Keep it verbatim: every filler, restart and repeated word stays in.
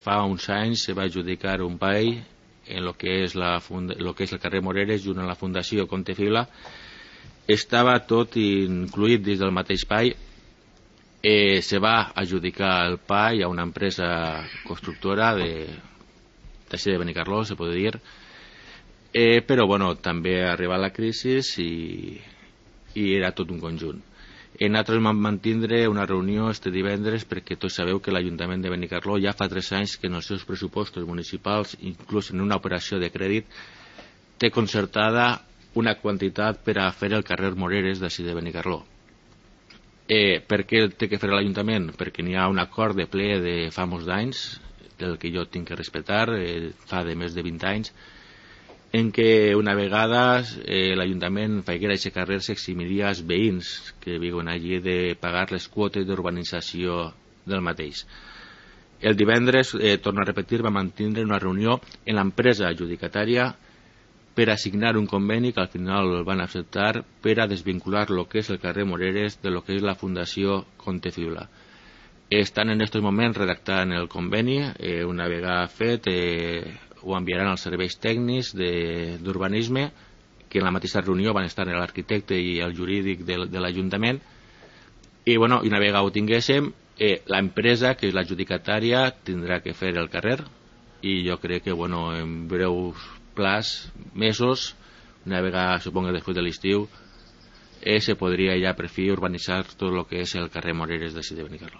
fa uns anys se va adjudicar un paell en lo que és, la funda, lo que és el carrer Moreres, junt amb la Fundació Conte Fila. Estava tot incluït dins del mateix paell. Eh, se va adjudicar el paell a una empresa constructora de, d'ací de Benicarló, se pot dir. Eh, però bueno, també ha arribat la crisi i, i era tot un conjunt. Eh, nosaltres vam mantindre una reunió este divendres perquè tots sabeu que l'Ajuntament de Benicarló ja fa tres anys que en els seus pressupostos municipals, inclús en una operació de crèdit, té concertada una quantitat per a fer el carrer Moreres d'ací de Benicarló. Eh, per què té que fer l'Ajuntament? Perquè n'hi ha un acord de ple de fa molts d'anys, del que jo tinc que respectar, eh, fa de més de vint anys, en què una vegada eh, l'Ajuntament faiguera aquest carrer s'eximiria als veïns que viuen allí de pagar les quotes d'urbanització del mateix. El divendres, eh, torno a repetir, va mantindre una reunió en l'empresa adjudicatària per assignar un conveni que al final el van acceptar per a desvincular el que és el carrer Moreres de lo que és la Fundació Conte Fibla. Estan en aquests moments redactant el conveni, eh, una vegada fet eh, ho enviaran als serveis tècnics d'urbanisme, que en la mateixa reunió van estar l'arquitecte i el jurídic de, de l'Ajuntament. I bueno, una vegada ho tinguéssim, eh, l'empresa, que és l'adjudicatària, tindrà que fer el carrer, i jo crec que bueno, en breus plaç, mesos, una vegada, supongo, després de l'estiu, eh, se podria ja per fi urbanitzar tot el que és el carrer Moreres de Benicarló.